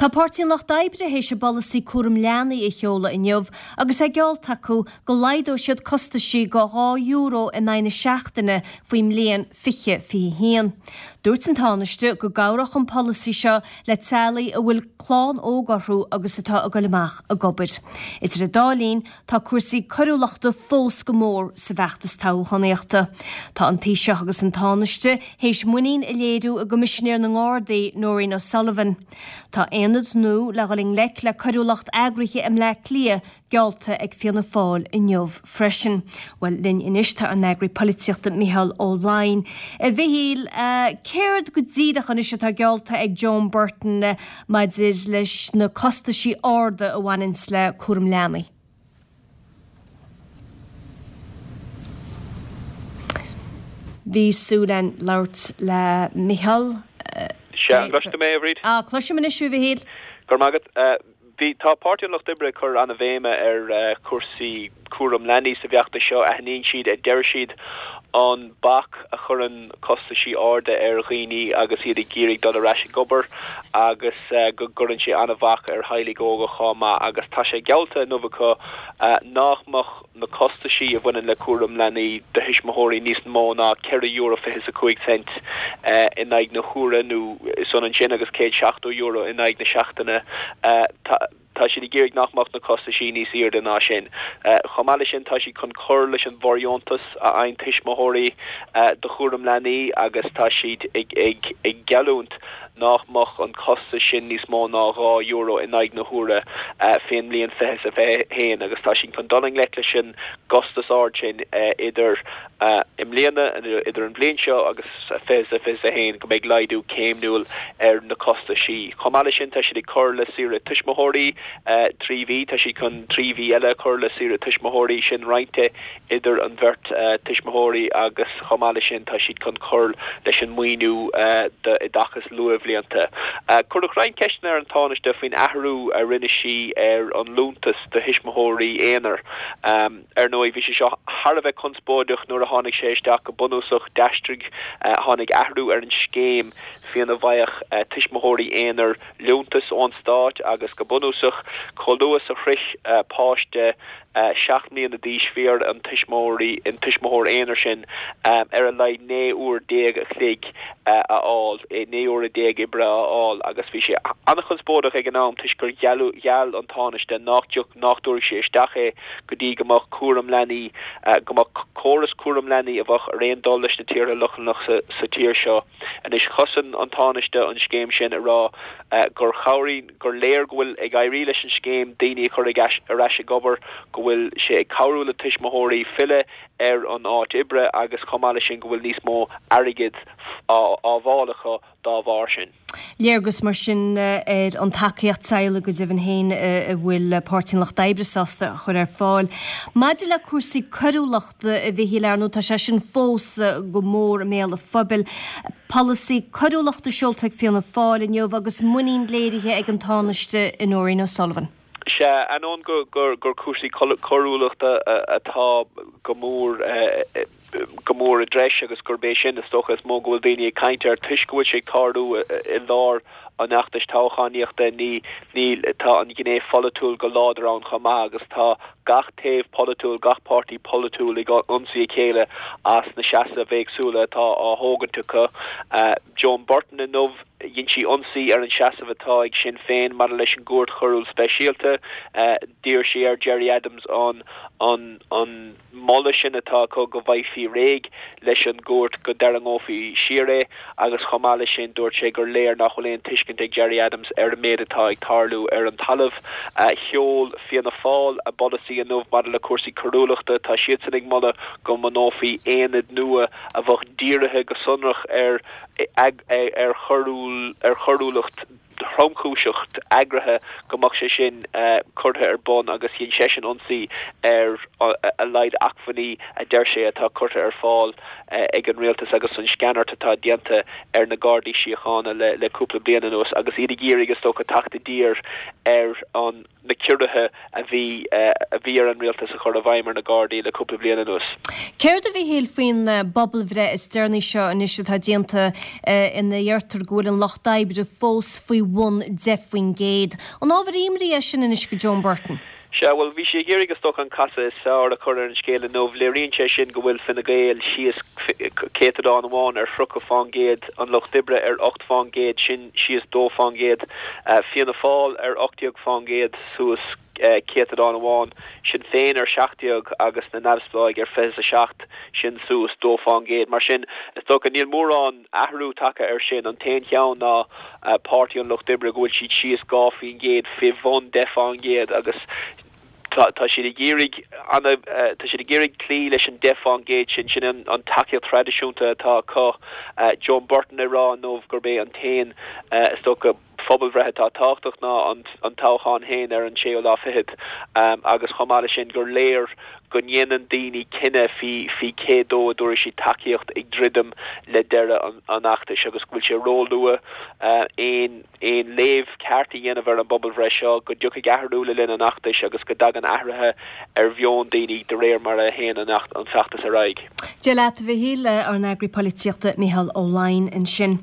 Tá Páirtí an Lucht Oibre théis a bpolasaí cúram leanaí a sheoladh inniu agus é geallta acu go laghdóidh siad costaisí go €2 in aghaidh na seachtaine faoin mbliain 2021. Dúirt an Tánaiste go gcabhródh an polasaí seo le teaghlaigh a bhfuil clann óg orthu agus atá ag dul amach ag obair. Idir an dá linn, Tá cúrsaí coiriúlachta fós go mór sa bhfeachtas toghchánaíochta. Tá an Taoiseach agus an Tánaiste théis muinín a léiriú i gCoimisinéir na nGardaí, Nóirín O'Sullivan. Tá aonad nua le dhul i ngleic le coiriúlacht eagraithe i mBleá Cliath geallta ag Fianna Fáil inniu freisin. Bhuel, linn anois tá ár n-eagraí polaitíochta Micheál Ó Laighin. A Mhichíl, céard go díreach anois atá geallta ag Joan Burton maidir leis na costaisí arda a bhaineanns le cúram leanaí. Bhí súil againn labhairt le Micheál. Sea, an gcloiseann tú mé, a Bhríd? Ah, cloisim anois thú, a Mhichíl. Go raibh maith agat. Bhí, tá Páirtí an Lucht Oibre ag cur an-bhéime ar chúrsaí cúram leanaí sa bhfeachtas seo. Aithníonn siad, a deir siad, an bac a chuireann costaisí arda ar dhaoine agus iad ag iarraidh dul ar ais ag obair agus go gcuireann sé an-bhac ar theaghlaigh óga chomh maith agus tá sé geallta inniu acu nach mbeadh na costaisí a bhaineann le cúram leanaí do thuismitheoirí níos mó ná €4 fiche is a 5 cent in aghaidh na huaire nó is ionann sin agus €170 in aghaidh na seachtaine. Tá siad ag iarraidh nach mbeadh na costaisí níos airde ná sin. Chomh maith leis sin, tá siad chun cur leis an bhfóirdheontas a fhaigheann tuismitheoirí do chúram leanaí agus tá siad ag geallúint nach mbeadh an costas sin níos mó ná €2 in aghaidh na huaire fén mbliain 20 is 21 agus tá siad chun dul i ngleic leis an gcostas ard sin idir i mbliana, idir an bhliain seo agus 20 is 21, go mbeidh laghdú céimniúil ar na costaisí. Chomh maith leis sin, tá siad ag cur le saoire tuismitheoirí 3 mhí, tá siad chun 3 mhí eile a chur le saoire tuismitheoirí, sin roinnte idir an bheirt tuismitheoirí agus chomh maith leis sin tá siad chun cur leis an maoiniú d'oideachas luathbhlianta. Cuireadh roinnt ceisteanna ar an Tánaiste faoin athrú a rinne sí ar an liúntas do thuismitheoirí aonair. Ar ndóigh, bhí sé seo thar a bheith conspóideach nuair a tháinig sé isteach. Go bunúsach, d'aistrigh, tháinig athrú ar an scéim faoina bhfaigheadh tuismitheoirí aonair liúntas ón stát agus go bunúsach, chomh luath is a shroich páiste 7 mbliana d'aois, bhí ar an tuismitheoirí, an tuismitheoir aonair sin ar a laghad 19 uair a chloig a fháil, 19 uaire oibre a fháil agus bhí sé an-chonspóideach ag an am toisc gur gheall an Tánaiste nach dtiocfadh, nach dtabharfadh sé isteach é go dtí go mbeadh cúram leanaí, go mbeadh córas cúram leanaí a bheadh ar aon dul leis na tíortha Lochlannacha sa tír seo. Anois, chosain an Tánaiste an scéim sin ag rá gur chabhraigh, gur léir go bhfuil ag éirí leis an scéim daoine a chur ar ais ag obair, go bhfuil sé ag cabhrú le tuismitheoirí filleadh ar an áit oibre agus chomh maith leis sin go bhfuil níos mó airgid á bhfáil acu dá bharr sin. Léargas mar sin ar an tacaíocht teaghlaigh go deimhin féin a bhfuil Páirtí an Lucht Oibre sásta a chur ar fáil. Maidir le cúrsaí coiriúlachta, a Mhichíl, ar ndóigh tá sé sin fós go mór i mbéal an phobail. Polasaí coiriúlachta seolta ag Fianna Fáil inniu agus muinín léirithe ag an Tánaiste i Nóirín O'Sullivan. Sea, ainneoin gur cúrsaí coiriúlachta atá go mór go mór i dtreis agus gurb é sin is dócha is mó go bhfuil daoine ag caint air toisc go bhfuil sé ag tarlú i lár an fheachtais toghchánaíochta, ní, níl, tá an ghné pholaitiúil go láidir ann chomh maith agus tá gach taobh polaitiúil, gach páirtí polaitiúil ag ionsaí a chéile as na seasaimh éagsúla atá á thógaint acu. Joan Burton inniu, dhein sí ionsaí ar an seasamh atá ag Sinn Féin maidir leis an gCúirt Choiriúil Speisialta. D'iarr sí ar Gerry Adams an, an, an, moladh sin atá acu go bhfaighfí réidh leis an gcúirt, go dtarraingeofaí siar é agus chomh maith leis sin dúirt sé gur léir nach bhfuil aon tuiscint ag Gerry Adams ar an méid atá ag tarlú ar an talamh. Sheol Fianna Fáil a bpolasaí inniu maidir le cúrsaí coiriúlachta. Tá siadsan ag moladh go mbunófaí aonad nua a bheadh dírithe go sonrach ar ar choiriúlacht thromchúiseach eagraithe go mbeadh sé sin curtha ar bun agus dhein seisean ionsaí ar a laghad acmhainní a deir sé atá curtha ar fáil ag an rialtas agus an sceanairt atá déanta ar na Gardaí Síochána le cúpla bliain anuas agus iad ag iarraidh is dócha teacht i dtír ar an na ciorruithe a bhí a bhí ar an rialtas a chur i bhfeidhm ar na Gardaí le cúpla bliain anuas. Céard a Mhichíl faoin bpobalbhreith is deireanaí seo anois atá déanta ina ndeirtear go bhfuil an Lucht Oibre fós faoi. bhun 10%. An ábhar imní é sin anois go Joan Burton? Sea, bhuel, bhí sí ag iarraidh is dócha an casadh is fearr a chur ar an scéal inniu. Léiríonn sé sin go bhfuil Fine Gael síos céatadán amháin ar 30 fán gcéad, an Lucht Oibre ar 8 fán gcéad, sin síos 2 fán gcéad, Fianna Fáil ar 18 fán gcéad, suas céatadán amháin, Sinn Féin ar 17 agus na Neamhspleáigh ar 27, sin suas 2 fán gcéad. Mar sin, is dócha, níl mórán. athrú tagtha air sin. An t-aon cheann ná Páirtí an Lucht Oibre, go bhfuil siad síos 2% fé bhun 10% agus tá siad ag iarraidh ana, tá siad ag iarraidh cloí leis an 10% sin, sin an tacaíocht thraidisiúnta atá acu. Joan Burton ag rá inniu gurb é an t-aon, is dócha, phobalbhreith atá tábhachtach ná an toghchán féin ar an séú lá fichead agus chomh maith leis sin gur léir go ndéanann daoine cinneadh faoi cé dó a dtabharfaidh siad tacaíocht ag druidim le deireadh an fheachtais agus go bhfuil sé róluath aon aon léamh ceart a dhéanamh ar an bpobalbhreith seo, go dtiocfaidh athrú le linn an fheachtais agus go dtagann athruithe ar mheon daoine de réir mar a théann an feachtas ar aghaidh. Dia leat, a Mhichíl, ár n-eagraí polaitíochta Micheál Ó Laighin ansin.